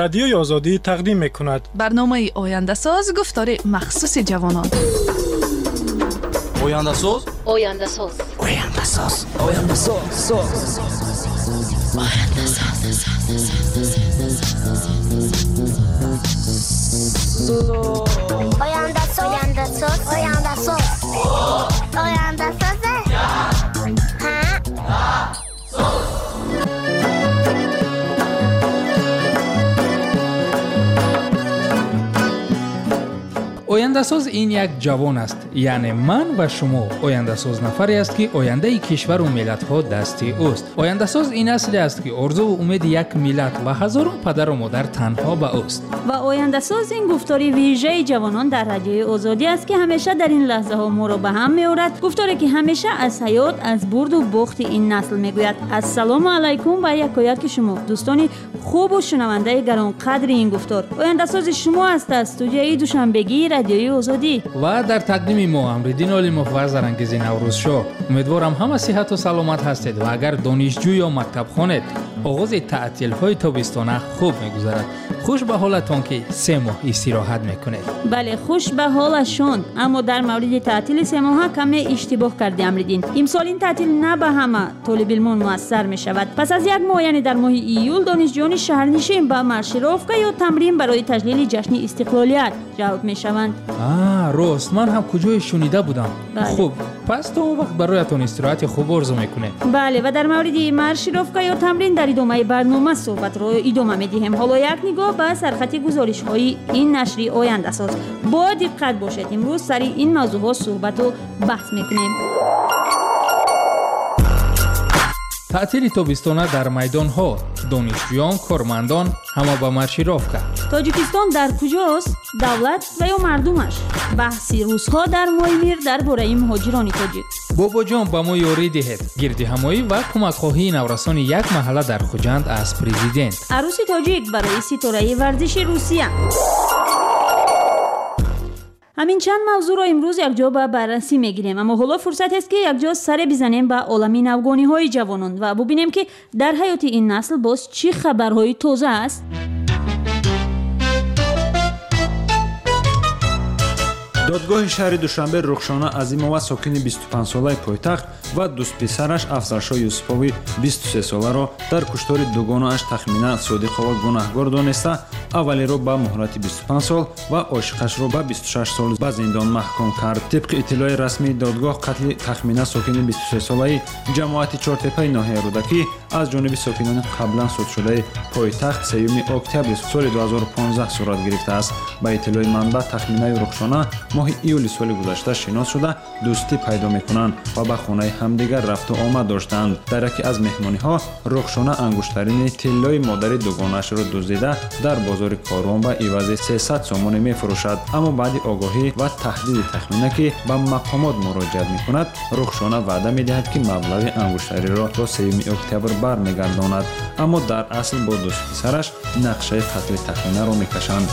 Радиои Озодӣ тақдим мекунад. Барномаи Ояндасоз, гуфтори махсуси ҷавонон. Ояндасоз, Ояндасоз, Ояндасоз, Ояндасоз, Ояндасоз. Ояндасоз, Ояндасоз, Ояндасоз, Ояндасоз. Ҳа. Ояндасоз ин як ҷавон аст, яъне ман ва шумо. Ояндасоз нафаре аст, ки ояндаи кишвару миллатҳо дасти ӯст. Ояндасоз ин асле аст, ки орзуву умеди як миллат ва ҳазорон падару модар танҳо ба ӯст. Ва Ояндасоз ин гуфтори вижаи ҷавонон дар Радиои Озодӣ аст, ки ҳамеша дар ин лаҳзаҳо моро ба ҳам меорад. Гуфторе, ки ҳамеша аз ҳаёт, аз бурду бохти ин насл мегӯяд. Ассалому алайкум ба якояки шумо, дӯстони хубу шунавандаи гаронқадри ин гуфтор. Ояндасози шумо аст аз студияи душанбегии Радиои Озодӣ. Ва дар тақдими мо Амриддин Олимов ва Зарангези Наврӯзшоҳ. Умедворам, ҳама сиҳату саломат ҳастед ва агар донишҷӯ ё мактабхонед, оғози таътилҳои тобистона хуб мегузарад. Хуш ба ҳолатон, ки 3 моҳ истироҳат мекунед. Бале, хуш ба ҳолашон. Аммо дар мавриди таътили семоҳа каме иштибоҳ карди, Амриддин. Имсол ин таътил на ба ҳама толибилмон муассар мешавад. Пас аз як моҳ, яъне дар моҳи июл, донишҷӯёни шаҳрнишин ба маршировка ё тамрин барои таҷлили ҷашни истиқлолият ҷалб мешаванд. А, рост, ман ҳам куҷое шунида будам. Бале. Хуб, пас то он вақт бароятон истироҳати хуб орзу мекунем. Бале, ва дар мавриди маршировка ё тамрин дар идомаи барнома суҳбатро идома медиҳем. Ҳоло як нигоҳ ба сархати гузоришҳои ин нашри Ояндасоз. Бо диққат бошед, имрӯз сари ин мавзӯъҳо суҳбату баҳс мекунем. Таътили тобистона дар майдонҳо, донишҷӯён, кормандон ҳама ба маршировка. Тоҷикистон дар куҷост, давлат ва ё мардумаш? Баҳси рӯзҳо дар Моймир дар бораи муҳоҷирони тоҷик. Бобоҷон, ба мо ёрӣ диҳед, гирдиҳамоӣ ва кӯмакхоҳии наврасони як маҳалла дар Хуҷанд аз президент. Арӯси тоҷик барои ситораи варзиши Русия. Ҳамин чанд мавзӯъро имрӯз якҷо ба баррасӣ мегирем. Аммо ҳоло фурсатест, ки якҷо саре бизанем ба олами навгониҳои ҷавонон ва бубинем, ки дар ҳаёти ин насл боз чӣ хабарҳои тоза аст. Додгоҳи шаҳри Душанбе Рухшона Азимова, сокини 25-солаи пойтахт, ва дӯстписараш Афзалшоҳ Юсупови 23-соларо дар куштори дугонааш Тахмина Содиқова гунаҳгор дониста, аввалиро ба муҳлати 25 сол ва ошиқашро ба 26 сол ба зиндон маҳкум кард. Тибқи иттилои расмии додгоҳ, қатли Тахмина, сокини 23-солаи ҷамоати Чортепаи ноҳияи Рӯдакӣ, аз ҷониби сокинони қаблан судшудаи пойтахт 3 октябри соли 2015 сурат гирифтааст. Ба иттилои манбаъ, Тахминаю Рухшона моҳи июли соли гузашта шинос шуда, дӯстӣ пайдо мекунанд ва ба хонаи ҳамдигар рафту омад доштанд. Дар яке аз меҳмониҳо Рухшона ангуштарини тиллои модари дугонаашро дуздида, дар бозори Корвон ба ивази 300 сомонӣ мефурӯшад. Аммо баъди огоҳӣ ва таҳдиди Тахмина, ки ба мақомот муроҷиат мекунад, Рухшона ваъда медиҳад, ки маблағи ангуштариро то 3 октябр бармегардонад. Аммо дар асл бо дӯстписараш нақшаи қатли Тахминаро мекашанд.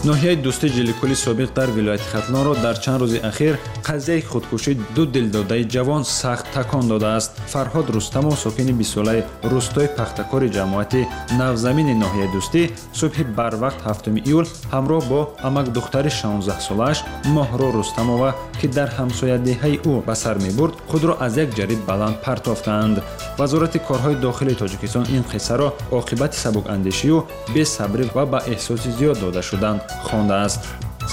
Ноҳияи Дӯсти Ҷиликули собиқ дар вилояти Хатлонро дар чанд рӯзи ахир қазияи худкушии ду дилдодаи ҷавон сахт такон додааст. Фарҳод Рустамов, сокини бистсолаи рӯстои Пахтакори ҷамоати Навзамини ноҳияи Дӯстӣ, субҳи барвақт 7 июл ҳамроҳ бо амакдухтари 16-солааш Моҳро Рустамова, ки дар ҳамсоядеҳаи ӯ ба сар мебурд, худро аз як ҷариб баланд партофтаанд. Вазорати корҳои дохилии Тоҷикистон ин қиссаро оқибати сабукандешию бесабрӣ ва ба эҳсоси зиёд дода шудан хондааст.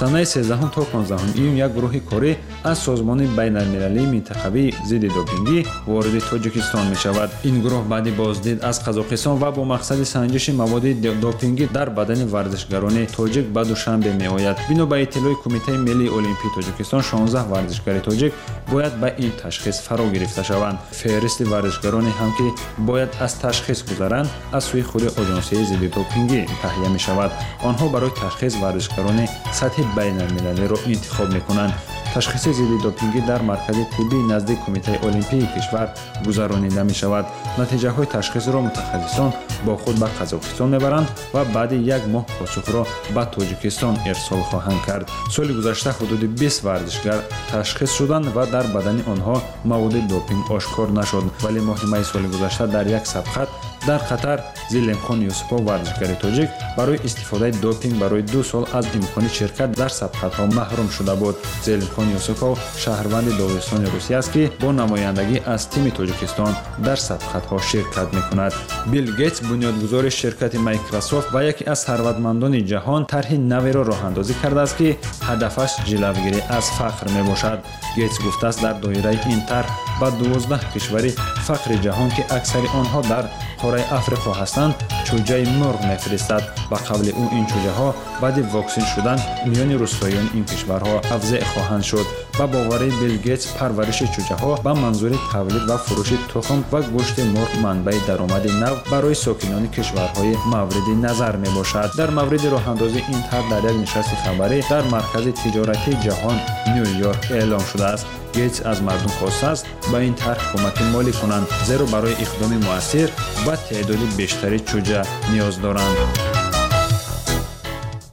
Санаи 13 то 15 июн як гурӯҳи корӣ аз Созмони байналмилалии минтақавии зидди допингӣ вориди Тоҷикистон мешавад. Ин гурӯҳ баъди боздид аз Қазоқистон ва бо мақсади санҷиши маводи допингӣ дар бадани варзишгарони тоҷик ба Душанбе меояд. Бино ба иттилои Кумитаи миллии олимпии Тоҷикистон, 16 варзишгари тоҷик бояд ба ин ташхис фаро гирифта шаванд. Феҳристи варзишгароне ҳам, ки бояд аз ташхис гузаранд, аз сӯи худи оҷонсияи зидди допингӣ таҳия мешавад. Онҳо барои ташхис варзишгарони сатҳи байналмилалиро интихоб мекунанд. Ташхиси зидди допингӣ дар маркази тиббии назди Кумитаи олимпии кишвар гузаронида мешавад. Натиҷаҳои ташхисро мутахассисон бо худ ба Қазоқистон мебаранд ва баъди як моҳ посухро ба Тоҷикистон ирсол хоҳанд кард. Соли гузашта ҳудуди 20 варзишгар ташхис шуданд ва дар бадани онҳо маводи допинг ошкор нашуд, вале моҳи майи соли гузашта дар як сабқат Дар Қатар Зилемхон Юсупов, варзишгари тоҷик, барои истифодаи допинг барои 2 сол аз имкони ширкат дар сабқатҳо маҳрум шуда буд. Зелимхон Юсупов шаҳрванди Доғистони Русия аст, ки бо намояндагӣ аз тими Тоҷикистон дар сабқатҳо ширкат мекунад. Билл Гейтс, бунёдгузори ширкати Майкрософт ва яке аз сарватмандони ҷаҳон, тарҳи наверо роҳандозӣ кардааст, ки ҳадафаш ҷилавгирӣ аз фақр мебошад. Гейтс гуфтааст, дар доираи ин тарҳ ба 12 кишвари фақри ҷаҳон, ки аксари онҳо дар қораи Африқо ҳастанд, чӯҷаи мурғ мефиристад. Ба қавли ӯ, ин чӯҷаҳо баъди воксин шудан миёни рӯстоиёни ин кишварҳо тавзеъ хоҳанд шуд. Ба бовари Билл Гейтс, парвариши чӯҷаҳо ба манзури тавлид ва фурӯши тухм ва гӯшти мурғ манбаи даромади нав барои сокинони кишварҳои мавриди назар мебошад. Дар мавриди роҳандозии ин тарҳ дар як нишасти хабарӣ дар маркази тиҷоратии ҷаҳон Ню-Йорк эълом шудааст. Гейтс аз мардум хостааст ба ин тарҳ кӯмаки молӣ кунанд, зеро барои иқдоми муассир ба теъдоди бештари чӯҷа ниёз доранд.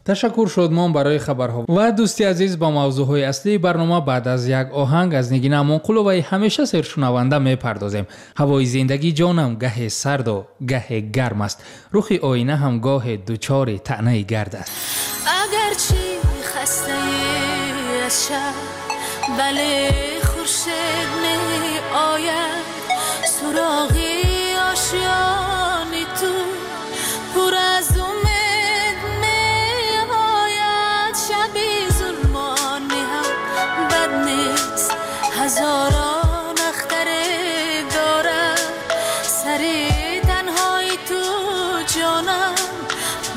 Ташаккур Шодмон барои хабарҳо. Ва дӯсти азиз, ба мавзӯъҳои аслии барнома баъд аз як оҳанг аз Нигина Амонқуловаи ҳамеша сершунаванда мепардозем. Ҳавои зиндагӣ ҷонам гаҳе сарду гаҳе гарм аст. Рухи оина ҳам гоҳе дучори таънаи гард аст. Агарчи хастаи аз шаб, бале хуршед меояд, суроғи ошёни ту пур аз умед меояд. Шаби зулмонӣ ҳам бад нест, ҳазорон ахтаре дорад. Сари танҳои ту ҷонам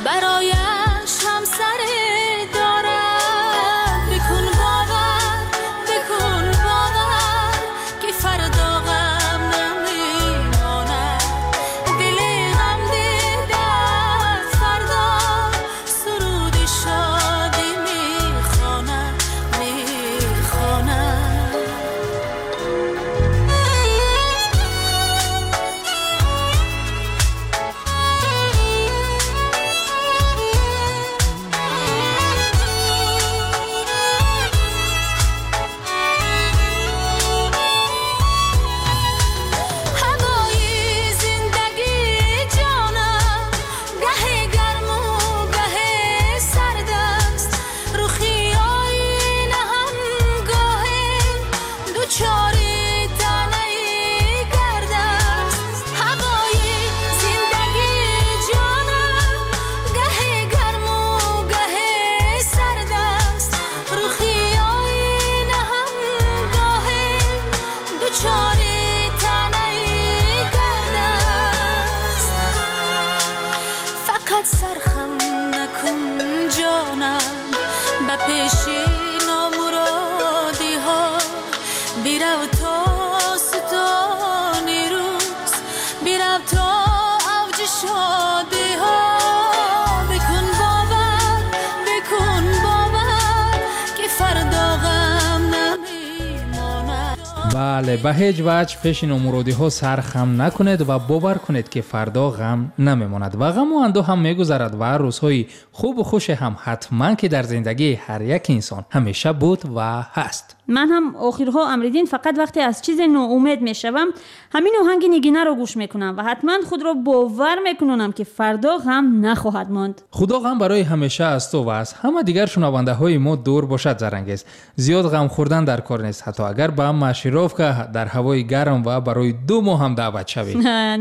барояш ҳамсаре дорад. Бикун бовар, бикун бовар, ки фардо ғам намемонад. Дили ғам дида фардо суруди шодӣ мехонад, мехонад. Ҳавои зиндагӣ ҷонам гаҳе гарму гаҳе сард аст. Рухи оина ҳам гоҳе дучори таънаи гард аст. Ҳавои зиндагӣ ҷонам гаҳе гарму гаҳе сард аст. Рухи оина ҳам гоҳе дучори таънаи гард аст. Фақат сархам накун ҷонам ба пеши номуродиҳо, бирав то сутони рӯз, бирав то авҷи шодиҳо. Бикун бовар, бикун бовар, ки фардо ғам намемонад. Бале, ба ҳеҷ ваҷҳ пеши номуродиҳо сар хам накунед ва бовар кунед, ки фардо ғам намемонад ва ғаму андӯҳ ҳам мегузарад ва рӯзҳои хубу хуше ҳам ҳатман ки дар зиндагии ҳар як инсон ҳамеша буд ва ҳаст. Ман ҳам охирҳо, Амриддин, фақат вақте аз чизе ноумед мешавам, ҳамин оҳанги Нигинаро гӯш мекунам ва ҳатман худро бовар мекунонам, ки фардо ғам нахоҳад монд. Худо ғам барои ҳамеша аз ту ва аз ҳама дигар шунавандаҳои мо дур бошад. Зарангез, зиёд ғам хӯрдан дар кор нест, ҳатто агар ба маршировка дар ҳавои гарм ва барои 2 моҳ ҳам даъват шавӣ.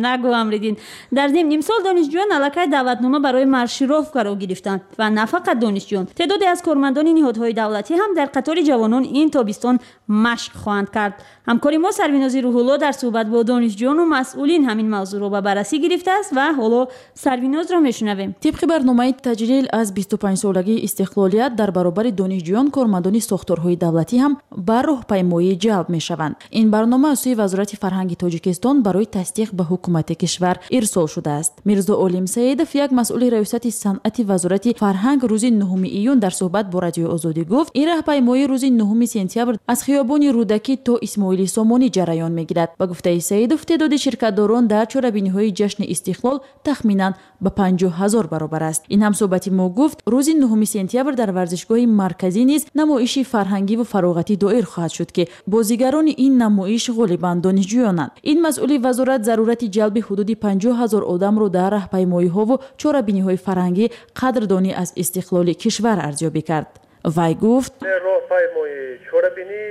Нагӯ, Амриддин. Дар зимн имсол донишҷӯён аллакай даъватнома барои маршировкаро гирифтанд ва на фақат донишҷӯён, теъдоде аз кормандони ниҳодҳои давлатӣ ҳам дар қатори ҷавонон ин тобистон машқ хоҳанд кард. Ҳамкори мо Сарвинози Рӯҳулло дар суҳбат бо донишҷӯёну масъулин ҳамин мавзӯъро ба баррасӣ гирифтааст ва ҳоло Сарвинозро мешунавем. Тибқи барномаи таҷлил аз 25-солагии истиқлолият дар баробари донишҷӯён кормандони сохторҳои давлатӣ ҳам ба роҳпаймоӣ ҷалб мешаванд. Ин барнома аз сӯи Вазорати фарҳанги Тоҷикистон барои тасдиқ ба ҳукумати кишвар ирсол шудааст. Мирзо Олим Саидов, як масъули раёсати санъати Вазорати фарҳанг, рӯзи 9 июн дар суҳбат бо Радиои Озодӣ гуфт, ин раҳпаймоӣ рӯзи 9 сентябр аз хиёбони Рӯдакӣ то Исмоили Сомонӣ ҷараён мегирад. Ба гуфтаи Саидов, теъдоди ширкатдорон дар чорабиниҳои ҷашни истиқлол тахминан ба 50 000 баробар аст. Ин ҳамсӯҳбати мо гуфт, рӯзи 9 сентябр дар варзишгоҳи марказӣ низ намоиши фарҳангиву фароғатӣ доир хоҳад шуд, ки бозигарони ин Намоиш ғолибан донишҷӯёнанд. Ин масъули вазорат зарурати ҷалби ҳудуди 50 ҳазор одамро дар раҳпаймоиҳову чорабиниҳои фарҳангӣ қадрдонӣ аз истиқлоли кишвар арзёбӣ кард. Вай гуфт: роҳпаймоӣ, чорабинӣ,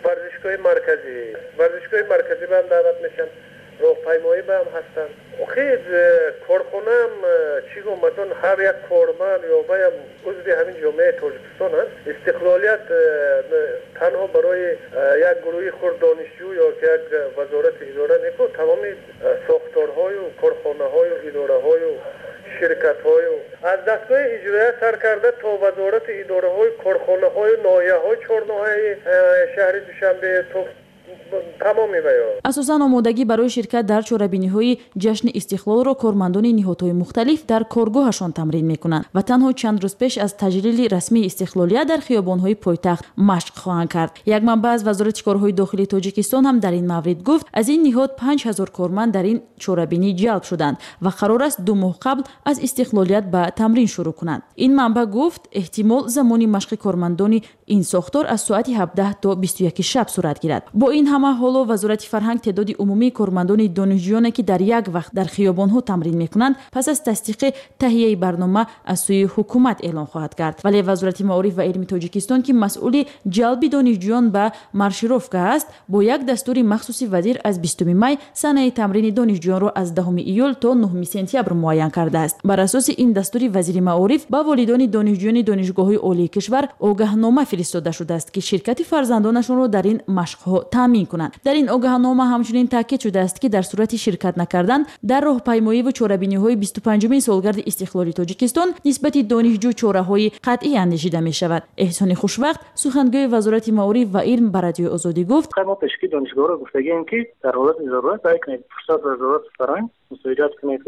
варзишгоҳи марказӣ, варзишгоҳи марказӣ ба ҳам даъват мешаванд, роҳпаймоӣ ба ҳам ҳастанд. Охир корхонаам чӣ гум, масалан ҳар як корманд ё ваям узви ҳамин ҷомеаи Тоҷикистон аст. Истиқлолият танҳо барои як гурӯҳи хурд донишҷӯ ё як вазорати идора неку, тамоми сохторҳою корхонаҳою идораҳою ширкатҳою аз дастгоҳи иҷроия сар карда то вазорати идораҳои корхонаҳою ноҳияҳои чорноҳияи шаҳри Душанбе то тамоми ваё. Асосан омодагӣ барои ширкат дар чорабиниҳои ҷашни истиқлолро кормандони ниҳодҳои мухталиф дар коргоҳашон тамрин мекунанд ва танҳо чанд рӯз пеш аз таҷлили расмии истиқлолият дар хиёбонҳои пойтахт машқ хоҳанд кард. Як манбаъ аз Вазорати корҳои дохилии Тоҷикистон ҳам дар ин маврид гуфт, аз ин ниҳод 5000 корманд дар ин чорабинӣ ҷалб шуданд ва қарор аст 2 моҳ қабл аз истиқлолият ба тамрин шурӯъ кунанд. Ин манбаъ гуфт, эҳтимол замони машқи кормандони ин сохтор аз соати 17 то 21 шаб сурат гирад. Бо ин ҳама ҳоло Вазорати фарҳанг теъдоди умумии кормандони донишҷӯёне ки дар як вақт дар хиёбонҳо тамрин мекунанд, пас аз тасдиқи таҳияи барнома аз сӯи ҳукумат эълон хоҳад кард. Вале Вазорати маориф ва илми Тоҷикистон, ки масъули ҷалби донишҷӯён ба маршировка аст, бо як дастури махсуси вазир аз 20 май санаи тамрини донишҷӯёнро аз 10 июл то 9 сентябр муайян кардааст. Бар асоси ин дастури вазири маориф ба волидони донишҷӯёни донишгоҳҳои олии кишвар огаҳнома фиристода шудааст, ки ширкати фарзандонашонро дар ин машқҳо таъмин кунанд. Дар ин огаҳнома ҳамчунин таъкид шудааст, ки дар сурати ширкат накардан дар роҳпаймоӣ ва чорабиниҳои 25-умин солгарди истиқлоли Тоҷикистон нисбати донишҷӯ чораҳои қатъӣ андешида мешавад. Эҳсони Хушвақт, сухангӯи Вазорати маориф ва илм, ба Радиои Озодӣ гуфт: мо пешакӣ донишгоҳро гуфтагием, ки дар ҳолати зарурат саъй кунед фурсат вазорати фарҳанг мусоидат кунед,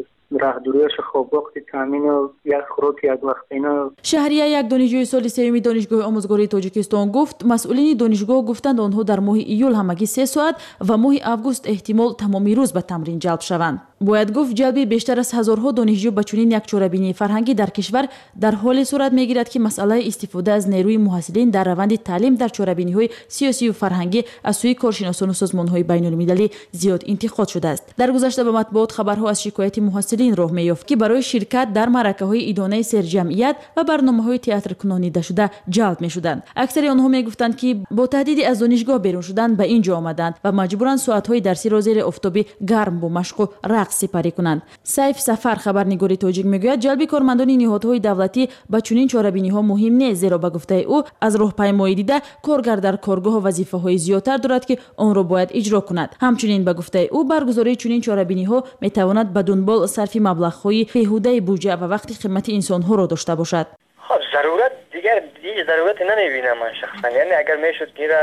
раҳдуриашо, хобгоҳи таъмину як хӯроки яквақтина. Шаҳрия, як донишҷӯи соли сеюми Донишгоҳи омӯзгории Тоҷикистон, гуфт масъулини донишгоҳ гуфтанд, онҳо дар моҳи июл ҳамагӣ 3 соат ва моҳи август эҳтимол тамоми рӯз ба тамрин ҷалб шаванд. Бояд гуфт, ҷалби бештар аз ҳазорҳо донишҷӯ ба чунин як чорабинии фарҳангӣ дар кишвар дар ҳоле сурат мегирад, ки масъалаи истифода аз нерӯи муҳассилин дар раванди таълим дар чорабиниҳои сиёсию фарҳангӣ аз сӯи коршиносону созмонҳои байнулмилалӣ зиёд интиқод шудааст. Дар гузашта ба матбуот хабарҳо аз шикояти муҳассилин роҳ меёфт, ки барои ширкат дар маъракаҳои идонаи серҷамъият ва барномаҳои театркунонидашуда ҷалб мешуданд. Аксари онҳо мегуфтанд, ки бо таҳдиди аз донишгоҳ берун шудан ба ин ҷо омаданд ва маҷбуранд соатҳои дарсиро зери офтоби гарм бо машқу рақс сипарӣ кунанд. Сайф Сафар, хабарнигори тоҷик, мегӯяд, ҷалби кормандони ниҳодҳои давлатӣ ба чунин чорабиниҳо муҳим нест, зеро ба гуфтаи ӯ аз роҳпаймоӣ дида коргар дар коргоҳ вазифаҳои зиёдтар дорад, ки онро бояд иҷро кунад. Ҳамчунин ба гуфтаи ӯ баргузории чунин чорабиниҳо метавонад ба дунбол сарфи маблағҳои беҳудаи буҷа ва вақти қимати инсонҳоро дошта бошад. Хоб, зарурат дигар ҳеҷ зарурате намебинам ман шахсан. Яъне агар мешуд ки инра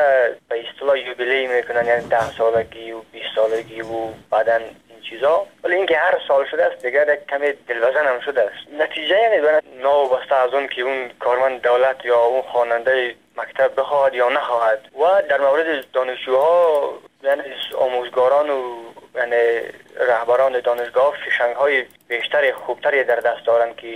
ба истилоҳ юбилей мекунанд, яъне 10 солагӣ ва 20 солагӣ ва баъдан чизо, вале инки ҳар сол шудааст дигар як каме дилвазан ҳам шудааст. Натиҷа яъне новобаста аз он ки он корманд давлат ё он хонандаи мактаб бихоҳад ё нахоҳад. Ва дар мавриди донишҷӯҳо, яъне омӯзгорон ва яъне раҳбарони донишгоҳ фишангҳои бештари хубтаре дар даст доранд, ки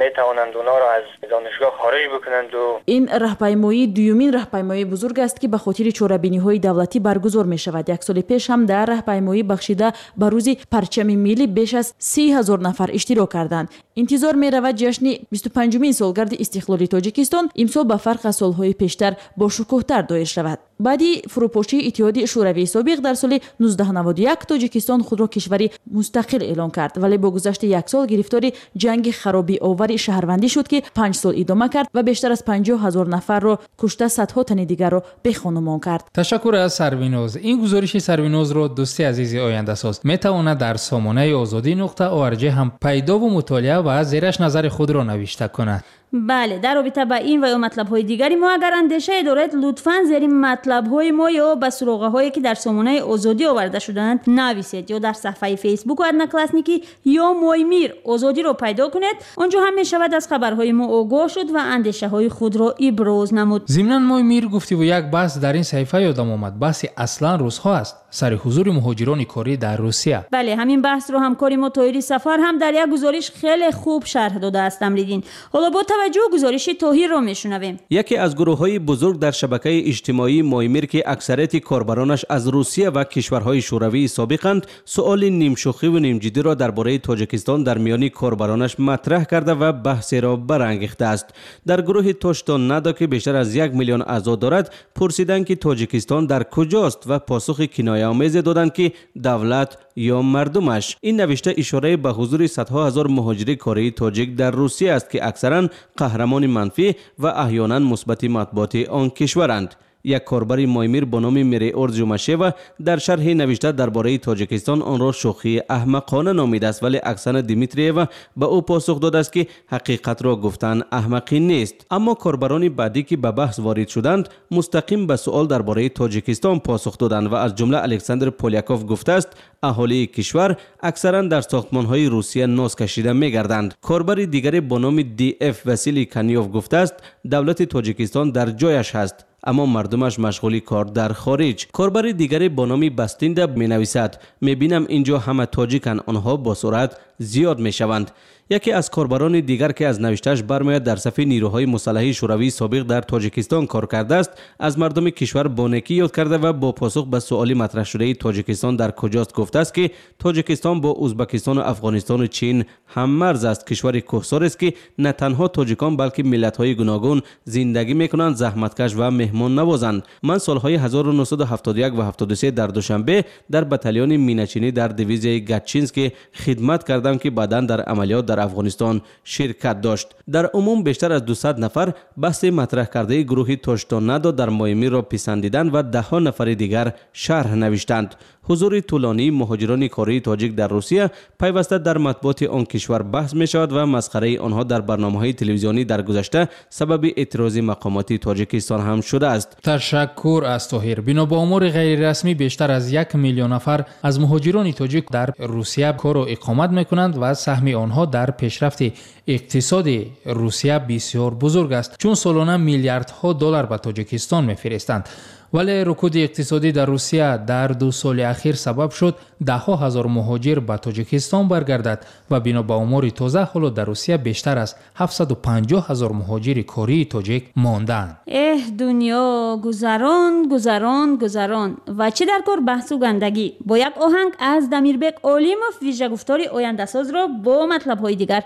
метавонанд онҳоро аз донишгоҳ хориҷ бикунанд. Ин раҳпаймоӣ дуюмин раҳпаймоии бузург аст, ки ба хотири чорабиниҳои давлатӣ баргузор мешавад. Як соли пеш ҳам дар раҳпаймоӣ бахшида ба рӯзи парчами миллӣ беш аз 30 ҳазор нафар иштирок карданд. Интизор меравад ҷашни 25-умин солгарди истиқлоли Тоҷикистон имсол ба фарқ аз солҳои пештар бошукӯҳтар доир шавад. Баъди фурӯпошии Иттиҳоди Шӯравии собиқ дар соли 1991 Тоҷикистон худро кишвари мустақил эълон кард, вале бо гузашти як сол гирифтори ҷанги харобиовари шаҳрвандӣ шуд, ки 5 сол идома кард ва бештар аз 50 ҳазор нафарро кушта, садҳо тани дигарро бехонумон кард. Ташаккур аз Сарвиноз. Ин гузориши Сарвинозро дӯсти азизи ояндасоз метавонад дар сомонаи озодӣ.org ҳам пайдову мутолиа ва зераш назари худро навишта кунад. Бале, дар робита ба ин ва ё матлабҳои дигари мо агар андешае доред, лутфан зери матлабҳои мо ё ба суроғаҳое ки дар сомонаи Озодӣ оварда шудаанд нависед ё дар саҳфаи Фейсбуку Одноклассники ё Моймир Озодиро пайдо кунед. Он ҷо ҳам мешавад аз хабарҳои мо огоҳ шуд ва андешаҳои худро иброз намуд. Зимнан Моймир гуфтиву як баҳс дар ин саҳифа ёдам омад. Баҳси аслан рӯзҳо аст сари ҳузури муҳоҷирони корӣ дар Русия. Бале, ҳамин баҳсро ҳамкори мо Тоҳири Сафар ҳам дар як гузориш хеле хуб шарҳ додааст. Амриддин, ҳоло бо таваҷҷӯҳ гузориши Тоҳирро мешунавем. Яке аз гурӯҳҳои бузург дар шабакаи иҷтимоии Моймир, ки аксарияти корбаронаш аз Русия ва кишварҳои шӯравии собиқанд, суоли нимшӯхиву нимҷиддиро дар бораи Тоҷикистон дар миёни корбаронаш матраҳ карда ва баҳсеро барангехтааст. Дар гурӯҳи Тоштон Надо, ки бештар аз 1 миллион аъзо дорад, пурсиданд, ки Тоҷикистон дар куҷост ва посухи кинояомезе доданд, ки давлат ё мардумаш. Ин навишта ишорае ба ҳузури садҳо ҳазор муҳоҷири кории тоҷик дар Русия аст, ки аксаран қаҳрамони манфӣ ва аҳёнан мусбати матбуоти он кишваранд. Як корбари Моймир бо номи Мереор Ҷумашева дар шарҳи навишта дар бораи Тоҷикистон онро шӯхии аҳмақона номидааст, вале Оксана Дмитриева ба ӯ посух додааст, ки ҳақиқатро гуфтан аҳмақӣ нест. Аммо корбарони баъдӣ, ки ба баҳс ворид шуданд, мустақим ба суол дар бораи Тоҷикистон посух доданд ва аз ҷумла Александр Поляков гуфтааст, аҳолии кишвар аксаран дар сохтмонҳои Русия ноз кашида мегарданд. Корбари дигаре бо номи ДФ Василий Канёв гуфтааст, давлати Тоҷикистон дар ҷояш ҳаст, аммо мардумаш машғули кор дар хориҷ. Корбари дигаре бо номи Бастинда менависад, мебинам инҷо ҳама тоҷиканд, онҳо бо суръат зиёд мешаванд. Яке аз корбарони дигар, ки аз навиштааш бармеояд дар сафи нирӯҳои мусаллаҳи шӯравии собиқ дар Тоҷикистон кор кардааст, аз мардуми кишвар бо некӣ ёд карда ва бо посух ба суоли матраҳшудаи Тоҷикистон дар куҷост гуфтааст, ки Тоҷикистон бо Узбакистону Афғонистону Чин ҳаммарз аст. Кишвари кӯҳсорест, ки на танҳо тоҷикон, балки миллатҳои гуногун зиндагӣ мекунанд, заҳматкаш ва меҳмоннавозанд. Ман солҳои 1971 ва 73 дар Душанбе дар батальони миначинӣ дар дивизияи Гатчинский хидмат кардам, ки баъдан дар амалиёт дар Афғонистон ширкат дошт. Дар умум бештар аз 200 нафар баҳси матраҳ кардаи гурӯҳи Тоштон Надо дар Моймирро писандиданд ва даҳҳо нафари дигар шарҳ навиштанд. Ҳузури тӯлонии муҳоҷирони кории тоҷик дар Русия пайваста дар матбуоти он кишвар баҳс мешавад ва масхараи онҳо дар барномаҳои телевизионӣ дар гузашта сабаби эътирози мақомоти Тоҷикистон ҳам шудааст. Ташаккур аз Тоҳир. Бино ба омори ғайрирасмӣ бештар аз 1 миллион нафар аз муҳоҷирони тоҷик дар Русия кору иқомат мекунанд ва саҳми онҳо дар пешрафти иқтисоди Русия бисёр бузург аст, чун солона миллиардҳо доллар ба Тоҷикистон мефиристанд. Вале рукуди иқтисодӣ дар Русия дар 2 соли ахир сабаб шуд даҳҳо ҳазор муҳоҷир ба Тоҷикистон баргардад ва бино ба омори тоза ҳоло дар Русия бештар аз 750 ҳазор муҳоҷири кории тоҷик мондаанд. Эҳ, дунё гузарон, гузарон, гузарон. Ва чӣ дар кор баҳсу гандагӣ. Бо як оҳанг аз Дамирбек Олимов вижагуфтори ояндасозро бо матлабҳои дигар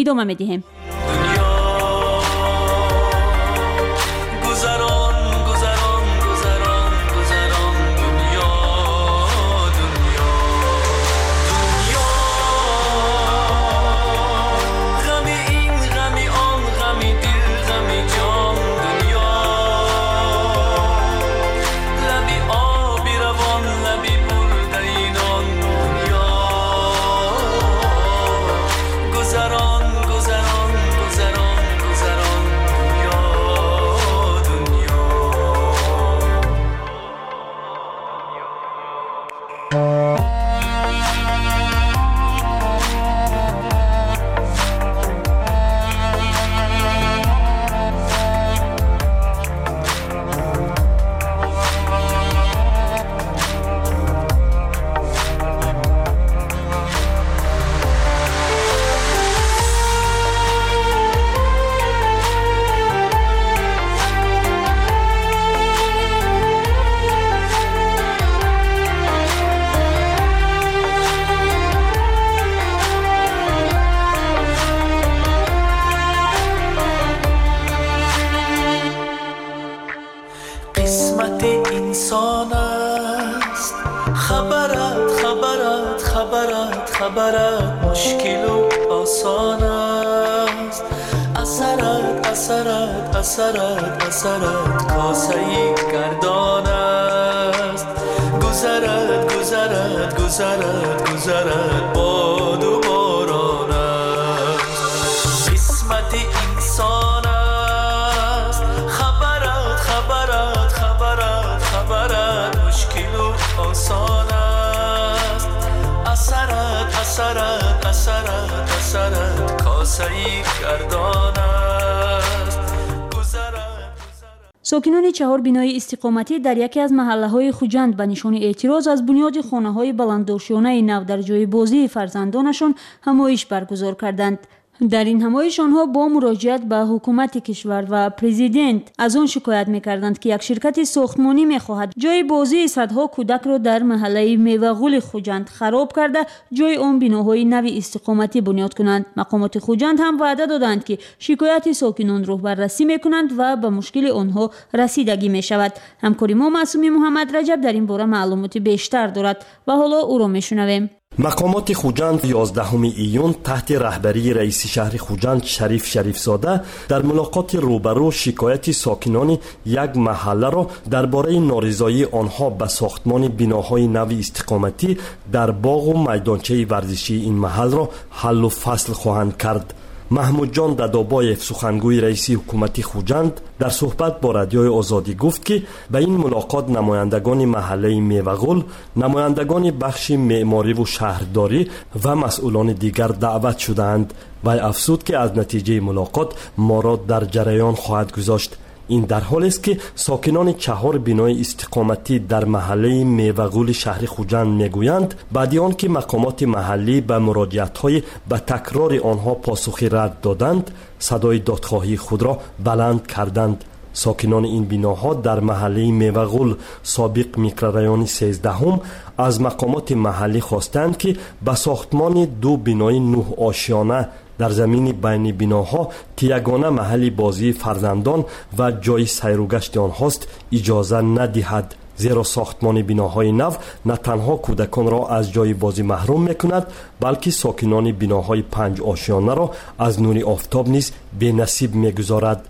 идома медиҳем. خبرت مشکل و آسان است، اثرت اثرت اثرت اثرت کاسه‌ای گردان است، گذرد گذرد گذرد گذرد باد و باران است، قسمت انسان است، خبرت خبرت خبرت خبرت مشکل و آسان است، اثرت اثرت اثرت اثرت کاسه‌ای گردان است. Сокинони 4 бинои истиқоматӣ дар яке аз маҳаллаҳои Хуҷанд ба нишони эътироз аз бунёди хонаҳои баландошёнаи нав дар ҷои бозии фарзандонашон ҳамоиш баргузор карданд. Дар ин ҳамоиш онҳо бо муроҷиат ба ҳукумати кишвар ва президент аз он шикоят мекарданд, ки як ширкати сохтмонӣ мехоҳад ҷои бозии садҳо кӯдакро дар маҳаллаи Мевағули Хуҷанд хароб карда, ҷои он биноҳои нави истиқоматӣ бунёд кунанд. Мақомоти Хуҷанд ҳам ваъда доданд, ки шикояти сокинонро баррасӣ мекунанд ва ба мушкили онҳо расидагӣ мешавад. Ҳамкори мо Маъсуми Муҳаммад Раҷаб дар ин бора маълумоти бештар дорад ва ҳоло ӯро мешунавем. Мақомоти Хуҷанд 11 июн таҳти раҳбарии раиси шаҳри Хуҷанд Шариф Шарифзода дар мулоқоти рӯбарӯ шикояти сокинони як маҳалларо дар бораи норизоии онҳо ба сохтмони биноҳои нави истиқоматӣ дар боғу майдончаи варзишии ин маҳалро ҳаллу фасл хоҳанд кард. Маҳмудҷон Дадобоев, сухангӯи раиси ҳукумати Хуҷанд, дар суҳбат бо Радиои Озодӣ гуфт, ки ба ин мулоқот намояндагони маҳаллаи Мевағул, намояндагони бахши меъмориву шаҳрдорӣ ва масъулони дигар даъват шудаанд. Вай афзуд, ки аз натиҷаи мулоқот моро дар ҷараён хоҳад гузошт. Ин дар ҳолест, ки сокинони 4 бинои истиқоматӣ дар маҳаллаи Мевағули шаҳри Хуҷанд мегӯянд, баъди он ки мақомоти маҳаллӣ ба муроҷиатҳои ба такрори онҳо посухи рад доданд, садои додхоҳии худро баланд карданд. Сокинони ин биноҳо дар маҳаллаи Мевағул, собиқ микрорайони 13-ум, аз мақомоти маҳаллӣ хостанд, ки ба сохтмони 2 бинои 9-ошёна дар замини байни биноҳо, ки ягона маҳалли бозии фарзандон ва ҷои сайругашти онҳост, иҷоза надиҳад, зеро сохтмони биноҳои нав на танҳо кӯдаконро аз ҷои бозӣ маҳрум мекунад, балки сокинони биноҳои 5-ошёнаро аз нури офтоб низ бенасиб мегузорад.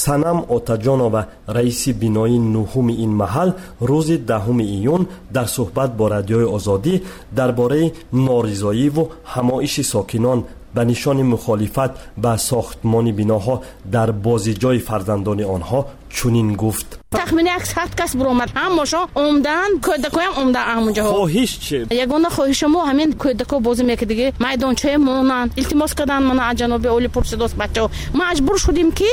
Санам Отаҷонова, раиси бинои 9-уми ин маҳал, рӯзи 10 июн дар суҳбат бо Радиои Озодӣ дар бораи норизоиву ҳамоиши сокинон ба нишони мухолифат ба сохтмони биноҳо дар бозиҷои фарзандони онҳо чунин гуфт. Тахмини 100 кас буромад, ҳамашон омдан, кӯдакоям омдан ҳамонҷоҳо. Хоҳиш чи? Ягона хоҳиши мо ҳамин кӯдако бозӣ мекардиги майдончаи монанд. Илтимос кардан мана аз ҷаноби олӣ пурсидост бачаҳо. Маҷбур шудем, ки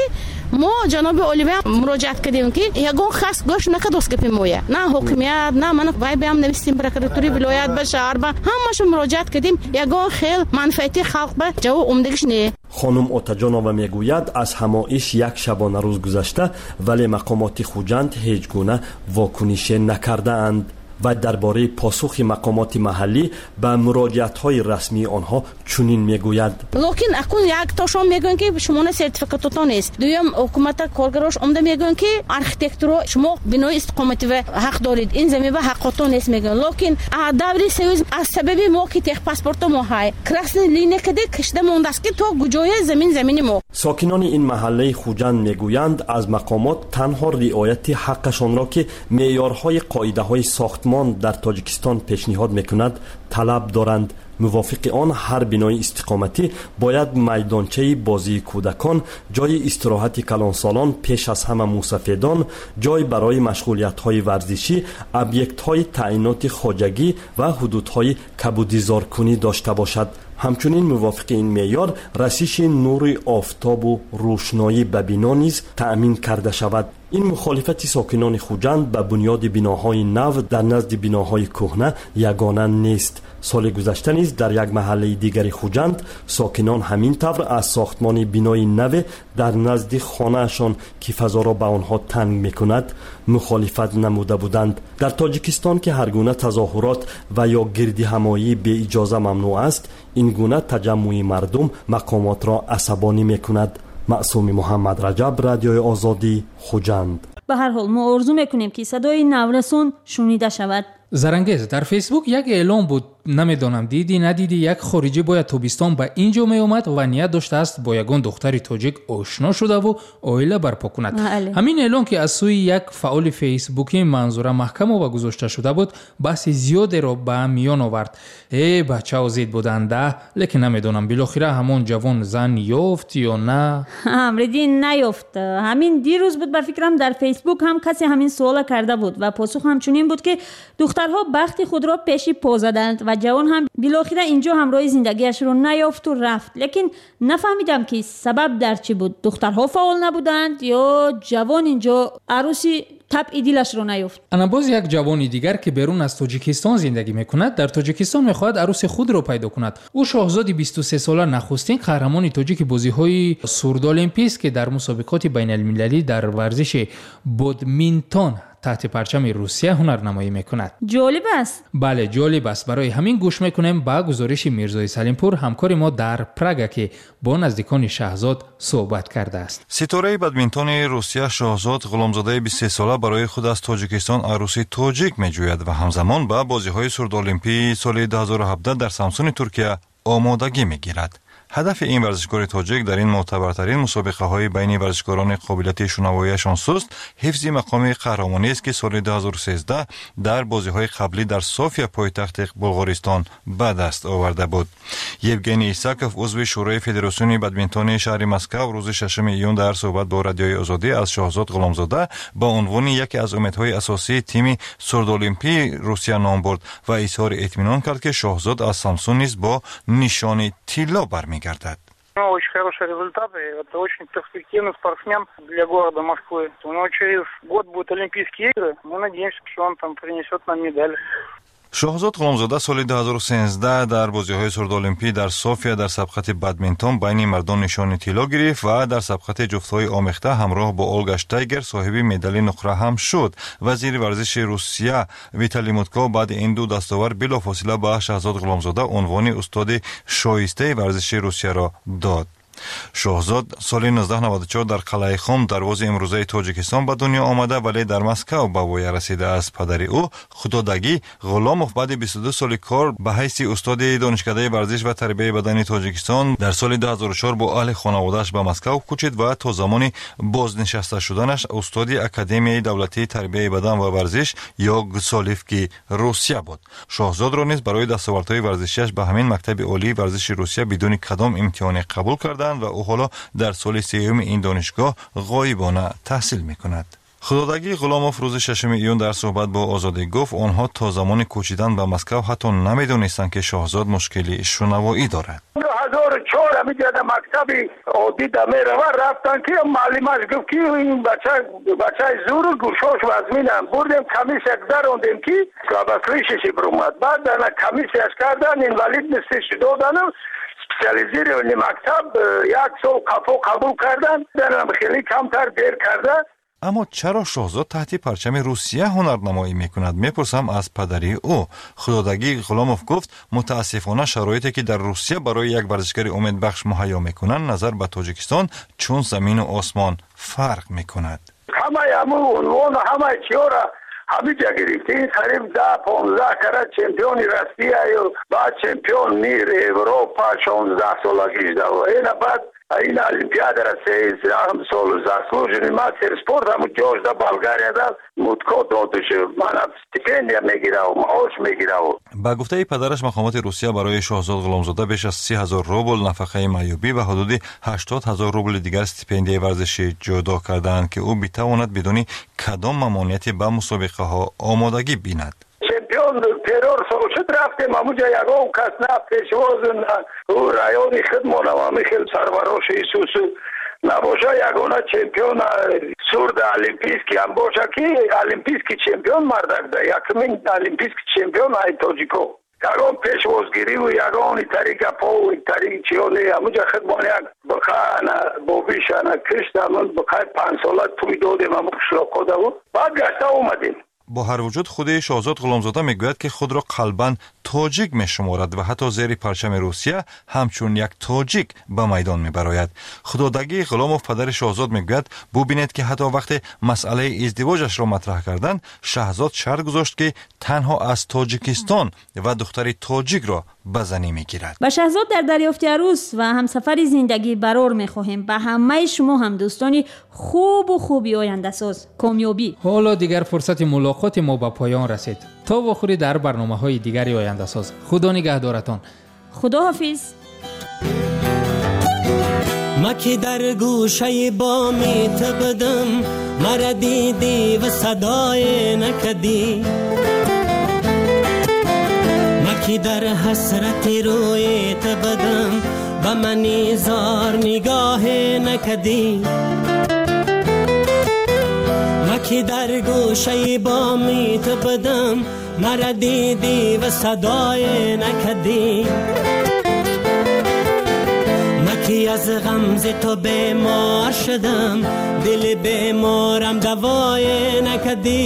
мо ҷаноби олиба муроҷиат кардем, ки ягон кас гӯш накардост гапи моя. На ҳокимият, на мана вай баам навистем прокуратури вилоят ба шаҳр ба ҳамашо муроҷиат кардем, ягон хел манфиати халқ ба ҷавоб омдагиш не. Хонум Отаҷонова мегӯяд, аз ҳамоиш як шабонарӯз гузашта, вале мақомоти Хуҷанд ҳеҷ гуна вокунише накардаанд. Ва дар бораи посухи мақомоти маҳаллӣ ба муроҷиатҳои расмии онҳо чунин мегӯяд. Локин акун як тошон мегӯянд, ки шумона сертификатотон нест. Дуюм, ҳукумата коргарош омда мегӯянд, ки архитектуро шумо бинои истиқоматӣ ҳақ доред, ин замин ба ҳаққотон нест мегӯянд. Локин даври союз аз сабаби мо ки техпаспорто мо ҳай красный линия каде кашида мондааст, ки то куҷоя замин замини мо. Сокинони ин маҳаллаи Хуҷанд мегӯянд, аз мақомот танҳо риояти ҳаққашонро, ки меъёрҳои қоидаҳои сохтмон дар Тоҷикистон пешниҳод мекунад, талаб доранд. Мувофиқи он ҳар бинои истиқоматӣ бояд майдончаи бозии кӯдакон, ҷои истироҳати калонсолон, пеш аз ҳама мусафедон, ҷой барои машғулиятҳои варзишӣ, объектҳои таъиноти хоҷагӣ ва ҳудудҳои кабудизоркунӣ дошта бошад. Ҳамчунин мувофиқи ин меъёр расиши нури офтобу рӯшноӣ ба бино низ таъмин карда шавад. Ин мухолифати сокинони Хуҷанд ба бунёди биноҳои нав дар назди биноҳои кӯҳна ягона нест. Соли гузашта низ дар як маҳаллаи дигари Хуҷанд сокинон ҳамин тавр аз сохтмони бинои наве дар назди хонаашон, ки фазоро ба онҳо танг мекунад, мухолифат намуда буданд. Дар Тоҷикистон, ки ҳар гуна тазоҳурот ва ё гирдиҳамоӣ беиҷоза мамнӯъ аст, ин гуна таҷаммуи мардум мақомотро асабонӣ мекунад. Маъсуми Муҳаммад Раҷаб, Радиои Озодӣ, Хуҷанд. Ба ҳар ҳол мо орзу мекунем, ки садои наврасон шунида шавад. Зарангез, дар Фейсбук як эълон буд, намедонам дидӣ надидӣ, як хориҷӣ бояд тобистон ба ин ҷо меомад ва ният доштааст бо ягон духтари тоҷик ошно шудаву оила барпо кунад. Ҳамин эълон, ки аз сӯи як фаъоли фейсбукӣ Манзура Маҳкамова гузошта шуда буд, баҳси зиёдеро ба миён овард. Э, бачао зид буданда, лекин намедонам билохира ҳамон ҷавон зан ёфт ё на. Амриддин, наёфт. Ҳамин дирӯз буд, ба фикрам, дар Фейсбук ҳам касе ҳамин суола карда буд ва посух ҳамчунин буд, ки духтарҳо бахти худро пеши по заданд ва ва ҷавон ҳам билохира инҷо ҳамроҳи зиндагиашро наёфту рафт. Лекин нафаҳмидам, ки сабаб дар чӣ буд. Духтарҳо фаъол набуданд ё ҷавон инҷо арӯси табъи дилашро наёфт. Ана боз як ҷавони дигар, ки берун аз Тоҷикистон зиндагӣ мекунад, дар Тоҷикистон мехоҳад арӯси худро пайдо кунад. Ӯ Шоҳзоди 23сола, нахустин қаҳрамони тоҷики бозиҳои сурдолимпист, ки дар мусобиқоти байналмилалӣ дар варзиши бодминтон таҳти парчами Русия ҳунарнамоӣ мекунад. Ҷолиб аст. Бале, ҷолиб аст. Барои ҳамин гӯш мекунем ба гузориши Мирзои Салимпур, ҳамкори мо дар Прага, ки бо наздикони Шаҳзод суҳбат кардааст. Ситораи бадминтони Русия Шоҳзод Ғуломзодаи 23сола барои худ аз Тоҷикистон арӯси тоҷик меҷӯяд ва ҳамзамон ба бозиҳои сурдолимпии соли 2017 дар Самсуни Туркия омодагӣ мегирад. Ҳадафи ин варзишкори тоҷик дар ин мӯътабартарин мусобиқаҳои байни варзишкорони қобилияти шунавоияшон суст ҳифзи мақоми қаҳрамониест, ки соли 2013 дар бозиҳои қаблӣ дар София, пойтахти Булғористон, ба даст оварда буд. Евгений Исаков, узви Шӯрои Федератсиони бадминтони шаҳри Москав, рӯзи 6 июн дар суҳбат бо Радиои Озодӣ аз Шоҳзод Ғуломзода ба унвони яке аз умедҳои асосии тими сурдолимпии Русия ном бурд ва изҳори итминон кард, ки Шоҳзод аз Самсун низ бо нишони тилло бармегардад. У него очень хорошие результаты. Это очень перспективный спортсмен для города Москвы. У него через год будут Олимпийские игры. Мы надеемся, что он там принесет нам медаль. Шоҳзод Ғуломзода соли 2013 дар бозиҳои сурдолимпӣ дар София дар сабқати бадминтон байни мардон нишони тилло гирифт ва дар сабқати ҷуфтҳои омехта ҳамроҳ бо Олга Штайгер соҳиби медали нуқра ҳам шуд. Вазири варзиши Русия Виталий Мутко баъди ин ду дастовар билофосила ба Шаҳзод Ғуломзода унвони устоди шоистаи варзиши Русияро дод. Шоҳзод соли 1994 дар Қалъаи Хом, дарвози имрӯзаи Тоҷикистон, ба дунё омада, вале дар Москав ба воя расидааст. Падари ӯ Худодагӣ Ғуломов баъди 22 соли кор ба ҳайси устоди Донишкадаи варзиш ва тарбияи бадани Тоҷикистон дар соли 2004 бо аҳли хонаводааш ба Москав кӯчид ва то замони бознишаста шуданаш устоди Академияи давлатии тарбияи бадан ва варзиш ё ГСОЛИФКи Русия буд. Шоҳзодро низ барои дастовардҳои варзишиаш ба ҳамин мактаби олии варзиши Русия бидуни кадом имтиҳоне қабул карданд ва ӯ ҳоло дар соли сеюми ин донишгоҳ ғоибона таҳсил мекунад. Худодагӣ Ғуломов рӯзи 6 июн дар суҳбат бо Озодӣ гуфт, онҳо то замони кӯчидан ба Москав ҳатто намедонистанд, ки Шоҳзод мушкили шунавоӣ дорад. 2004 ҳамиҷода мактаби оддӣ да мерава, рафтан, ки муаллимаш гуфт, ки ин бача бачаи зуру гӯшош вазминам. Бурдем, комиссия гузарондем, ки слабослышащий биромад. Баъд ана комиссияш кардан, инвалидностиш додану специализированный мактаб як сол қафо қабул кардан, данам хеле камтар дер карда. Аммо чаро Шоҳзод таҳти парчами Русия ҳунарнамоӣ мекунад, мепурсам аз падари ӯ. Худодагӣ Ғуломов гуфт, мутаассифона, шароите, ки дар Русия барои як варзишгари умедбахш муҳайё мекунанд, назар ба Тоҷикистон чун замину осмон фарқ мекунад. Ҳамаи ҳамун унвону ҳамаи чиёра ҳамиҷа гирифт. Ин қариб 10-15 кара чемпиони Россияю, баъд чемпион мир, Европа 16 солагиш. Ина баъд ин олимпиадара 13 сол заслуженный мастер спорт ҳамун ҷошда Болгарияда Мутко додуш, мана стипендия мегираву маош мегираву. Ба гуфтаи падараш, мақомоти Русия барои Шоҳзод Ғуломзода беш аз 30 000 рубл нафақаи маъюбӣ ва ҳудуди 80 000 рубли дигар стипендияи варзишӣ ҷудо кардаанд, ки ӯ битавонад бидуни кадом мамониятӣ ба мусобиқаҳо омодагӣ бинад. Чемпион террор сол шуд, рафтем ҳамуҷа, ягон кас на пешвоз, на ӯ райони худмонам ҳами хел сарвароши исусу набоша. Ягона чемпион сурда олимпийский ҳам боша, ки олимпийский чемпион мардак да, якумин олимпийский чемпион ай тоҷико. Ягон пешвозгириву ягон итари гапов, итари чиёне. Ҳамуҷа худмон як биқа ана бобиш ана кишт, ҳамун биқаи 5сола тӯй додем ҳамун қишлоқодаву баъд гашта омадем. Бо ҳар вуҷуд, худи Шоҳзод Ғуломзода мегӯяд, ки худро қалбан тоҷик мешуморад ва ҳатто зери парчами Русия ҳамчун як тоҷик ба майдон мебарояд. Худодагӣ Ғуломов, падари Шоҳзод, мегӯяд, бубинед, ки ҳатто вақте масъалаи издивоҷашро матраҳ карданд, Шаҳзод шарт гузошт, ки танҳо аз Тоҷикистон ва духтари тоҷикро ба занӣ мегирад. Ба Шаҳзод дар дарёфти арӯс ва ҳамсафари зиндагӣ барор мехоҳем. Ба ҳамаи шумо ҳам, дӯстони хубу хуби ояндасоз, комёбӣ. Ҳоло дигар фурсати мулоқоти мо ба поён расид. То вохӯрӣ дар барномаҳои дигари ояндасоз, Худо нигаҳдоратон. Худоҳофиз. Ма ки дар гӯшаи боми ту будам, мара дидӣ ва садое накардӣ. Маки дар ҳасрати рӯи ту будам, ба мани зор нигоҳе накардӣ. Маки дар гӯшаи боми ту будам, маро дидӣ ва садое накардӣ. Маки аз ғамзи ту бемор шудам, дили беморам давое накардӣ.